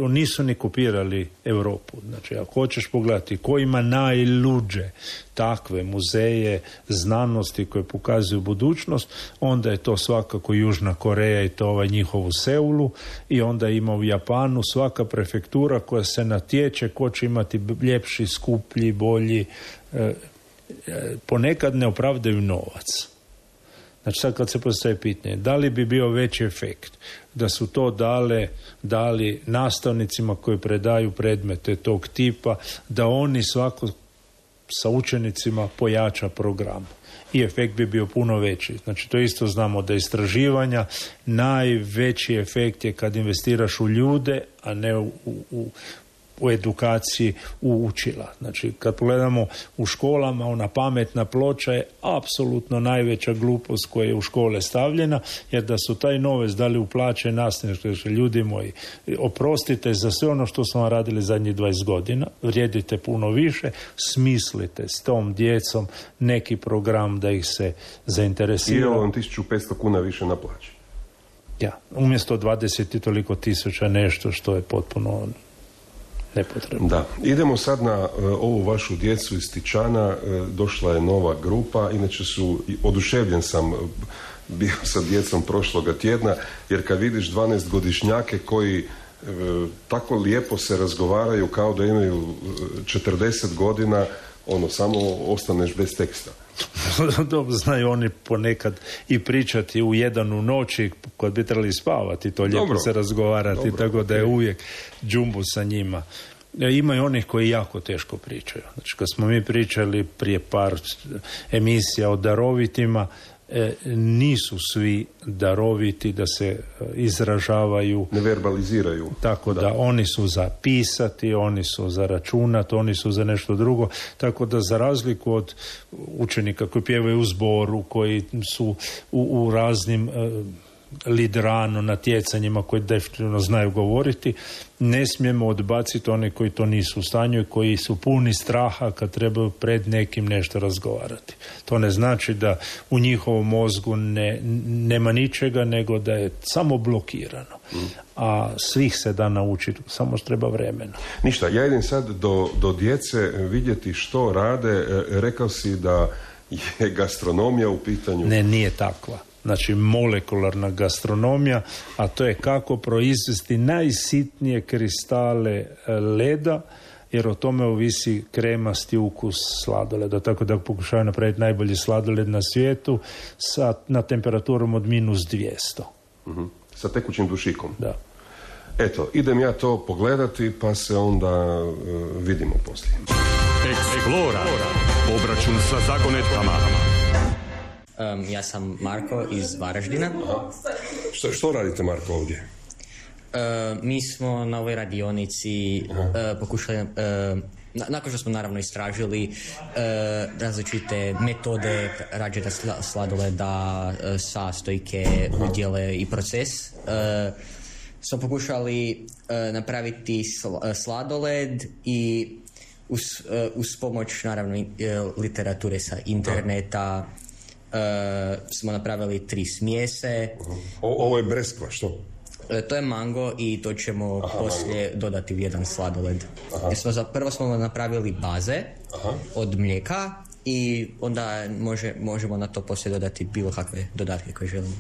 Nisu ni kopirali Europu. Znači, ako hoćeš pogledati ko ima najluđe takve muzeje znanosti koje pokazuju budućnost, onda je to svakako Južna Koreja i to ovaj njihov u Seulu, i onda ima u Japanu svaka prefektura koja se natječe ko će imati ljepši, skuplji, bolji, ponekad ne opravdaju novac. Znači sad kad se postaje pitanje, da li bi bio veći efekt da su to dali nastavnicima koji predaju predmete tog tipa, da oni svako sa učenicima pojača program. I efekt bi bio puno veći. Znači to isto znamo da istraživanja, najveći efekt je kad investiraš u ljude, a ne u edukaciji, u učila. Znači, kad pogledamo u školama, ona pametna ploča je apsolutno najveća glupost koja je u škole stavljena, jer da su taj novac dali u plaće nastavnika, ljudi moji, oprostite za sve ono što smo radili zadnjih 20 godina, vrijedite puno više, smislite s tom djecom neki program da ih se zainteresira. I evo vam 1500 kuna više na plaći. Ja, umjesto 20 i toliko tisuća nešto što je potpuno nepotrebno. Da. Idemo sad na ovu vašu djecu iz Tičana. Došla je nova grupa. Inače oduševljen sam bio sa djecom prošloga tjedna, jer kad vidiš 12-godišnjake koji tako lijepo se razgovaraju kao da imaju 40 godina, samo ostaneš bez teksta. Dobro, znaju oni ponekad i pričati u 1 u noći kad bi trebali spavati, to lijepo se razgovarati, tako da je uvijek džumbu sa njima. Ima i onih koji jako teško pričaju. Znači, kad smo mi pričali prije par emisija o darovitima, nisu svi daroviti da se izražavaju, ne verbaliziraju. Tako da oni su za pisati, oni su za računat, oni su za nešto drugo, tako da za razliku od učenika koji pjevaju u zboru, koji su u raznim liderano natjecanjima koji definitivno znaju govoriti, ne smijemo odbaciti one koji to nisu u stanju i koji su puni straha kad trebaju pred nekim nešto razgovarati. To ne znači da u njihovom mozgu nema ničega, nego da je samo blokirano. A svih se da naučiti, samo treba vremena. Ništa, ja idem sad do djece vidjeti što rade. Rekao si da je gastronomija u pitanju. Ne, nije takva. Znači molekularna gastronomija, a to je kako proizvesti najsitnije kristale leda, jer o tome ovisi kremasti ukus sladoleda, tako da pokušaju napraviti najbolji sladoled na svijetu na temperaturom od -200. Sa tekućim dušikom? Da. Eto, idem ja to pogledati, pa se onda vidimo poslije. Explora. Obračun sa zagonetkama. Ja sam Marko iz Varaždina. Što radite, Marko, ovdje? Mi smo na ovoj radionici pokušali, nakon što smo naravno istražili različite metode rađenja sladoleda, sastojke, udjele i proces, smo pokušali napraviti sladoled i uz pomoć naravno literature sa interneta smo napravili 3 smjese. Ovo je breskva, što? To je mango i to ćemo poslije dodati u jedan sladoled. Prvo smo napravili baze od mlijeka i onda možemo na to poslije dodati bilo kakve dodatke koje želimo.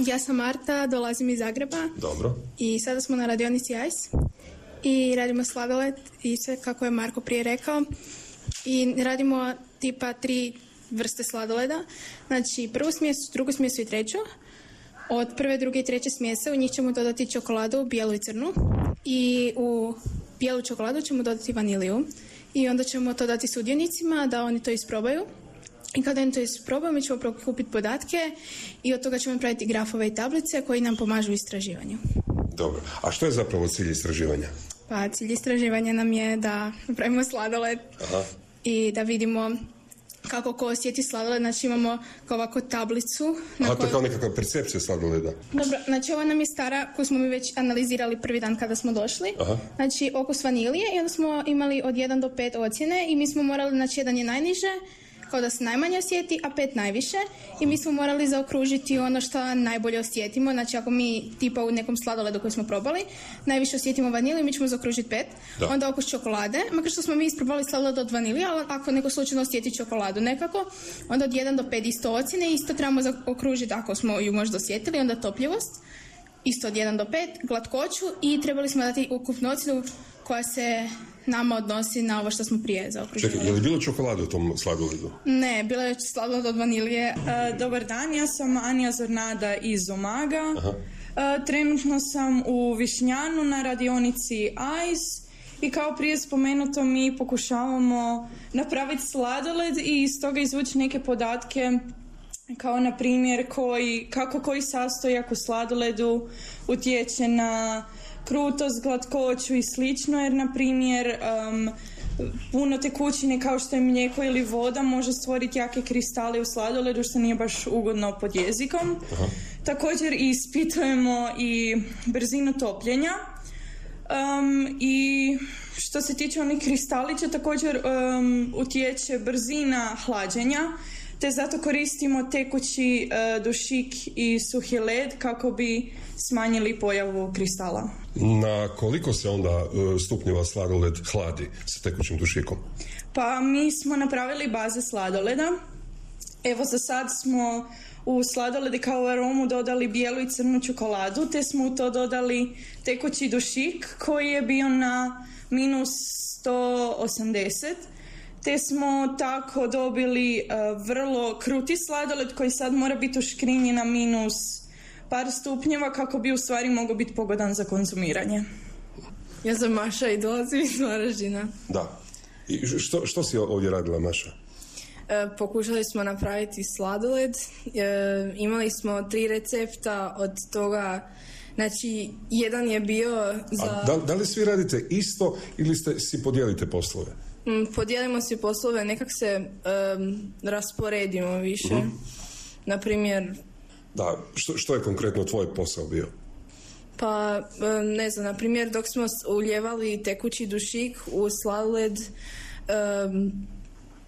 Ja sam Marta, dolazim iz Zagreba. Dobro. I sada smo na radionici Ice i radimo sladoled i sve kako je Marko prije rekao. I radimo tipa 3 vrste sladoleda. Znači prvu smjesu, drugu smjesu i treću. Od prve, druge i treće smjese u njih ćemo dodati čokoladu, bijelu i crnu. I u bijelu čokoladu ćemo dodati vaniliju. I onda ćemo to dati sudionicima da oni to isprobaju. I kada oni to isprobaju, mi ćemo prikupiti podatke i od toga ćemo napraviti grafove i tablice koji nam pomažu u istraživanju. Dobro. A što je zapravo cilj istraživanja? Pa cilj istraživanja nam je da napravimo sladoled i da vidimo kako ko osjeti sladoled. Znači imamo kao ovako tablicu. To je kao nekakva percepcija sladoleda. Dobro, znači ova nam je stara koju smo mi već analizirali prvi dan kada smo došli. Znači okus vanilije i onda smo imali od 1 do 5 ocjene i mi smo morali, znači 1 je najniže, kao da se najmanje osjeti, a 5 najviše i mi smo morali zaokružiti ono što najbolje osjetimo. Znači ako mi tipa u nekom sladoledu koji smo probali najviše osjetimo vaniliju, mi ćemo zaokružiti 5. Onda okus čokolade, makar što smo mi isprobali sladoled od vanilije, ali ako neko slučajno osjeti čokoladu nekako, onda od 1 do 5 isto ocjene, isto trebamo zaokružiti ako smo ju možda osjetili, onda topljivost, isto od 1 do 5, glatkoću i trebali smo dati ukupnu ocjenu koja se nama odnosi na ovo što smo prije zaokružili. Čekaj, je li bilo čokolade u tom sladoledu? Ne, bilo je sladoled od vanilije. Dobar dan, ja sam Anja Zornada iz Umaga. Trenutno sam u Višnjanu na radionici ICE i kao prije spomenuto mi pokušavamo napraviti sladoled i iz toga izvući neke podatke kao na primjer kako koji sastojak u sladoledu utječe na krutost, glatkoću i slično, jer na primjer puno tekućine kao što je mlijeko ili voda može stvoriti jake kristale u sladoledu što nije baš ugodno pod jezikom. Također ispitujemo i brzinu topljenja i što se tiče onih kristalića također utječe brzina hlađenja, te zato koristimo tekući dušik i suhi led kako bi smanjili pojavu kristala. Na koliko se onda stupnjeva sladoled hladi sa tekućim dušikom? Pa mi smo napravili baze sladoleda. Evo za sad smo u sladoledi kao aromu dodali bijelu i crnu čokoladu, te smo u to dodali tekući dušik koji je bio na -180. Te smo tako dobili vrlo kruti sladoled koji sad mora biti uškrinjen na minus par stupnjeva kako bi u stvari mogao biti pogodan za konzumiranje. Ja sam Maša i dolazim iz Varaždina. Da. I što si ovdje radila, Maša? Pokušali smo napraviti sladoled. Imali smo 3 recepta, od toga, znači, jedan je bio za... A da li svi radite isto ili si podijelite poslove? Podijelimo si poslove, nekak se rasporedimo više. Naprimjer... Da, što je konkretno tvoj posao bio? Pa, ne znam, na primjer, dok smo uljevali tekući dušik u sladoled,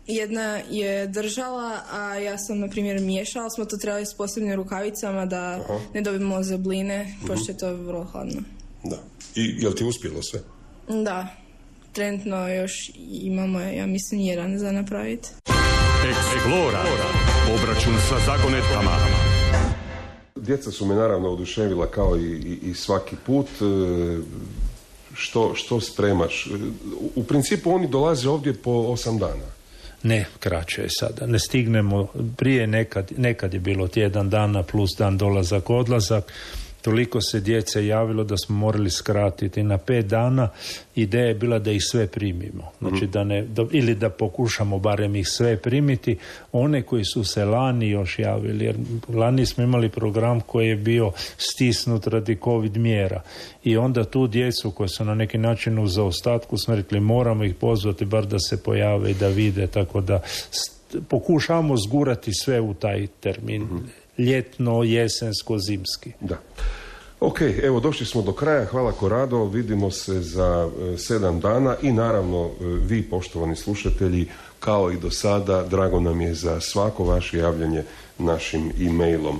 jedna je držala, a ja sam, na primjer, miješala. Smo to trebali s posebnim rukavicama da ne dobijemo zebline, pošto je to vrlo hladno. Da. I jel ti uspjelo sve? Da. Trenutno još imamo, ja mislim, 1 za napraviti. Explora. Obračun sa zagonetkama. Djeca su me naravno oduševila kao i svaki put. Što spremaš? U principu oni dolaze ovdje po 8 dana. Ne, kraće je sada. Ne stignemo, prije nekad je bilo tjedan dana plus dan dolazak, odlazak. Toliko se djece javilo da smo morali skratiti na 5 dana. Ideja je bila da ih sve primimo. Znači ili da pokušamo barem ih sve primiti. One koji su se lani još javili, jer lani smo imali program koji je bio stisnut radi COVID mjera. I onda tu djecu koji su na neki način u zaostatku smo rekli moramo ih pozvati bar da se pojave i da vide. Tako da pokušamo zgurati sve u taj termin. Ljetno, jesensko, zimski. Da. Ok, evo došli smo do kraja. Hvala Korado, vidimo se za 7 dana i naravno vi, poštovani slušatelji, kao i do sada, drago nam je za svako vaše javljanje našim e-mailom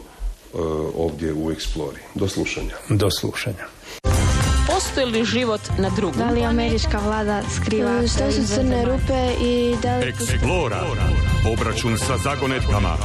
ovdje u Explori. Do slušanja. Do slušanja. Postoji li život na drugom? Da li američka vlada skriva? Što su crne rupe i da li... Explora. Obračun sa zagonetkama.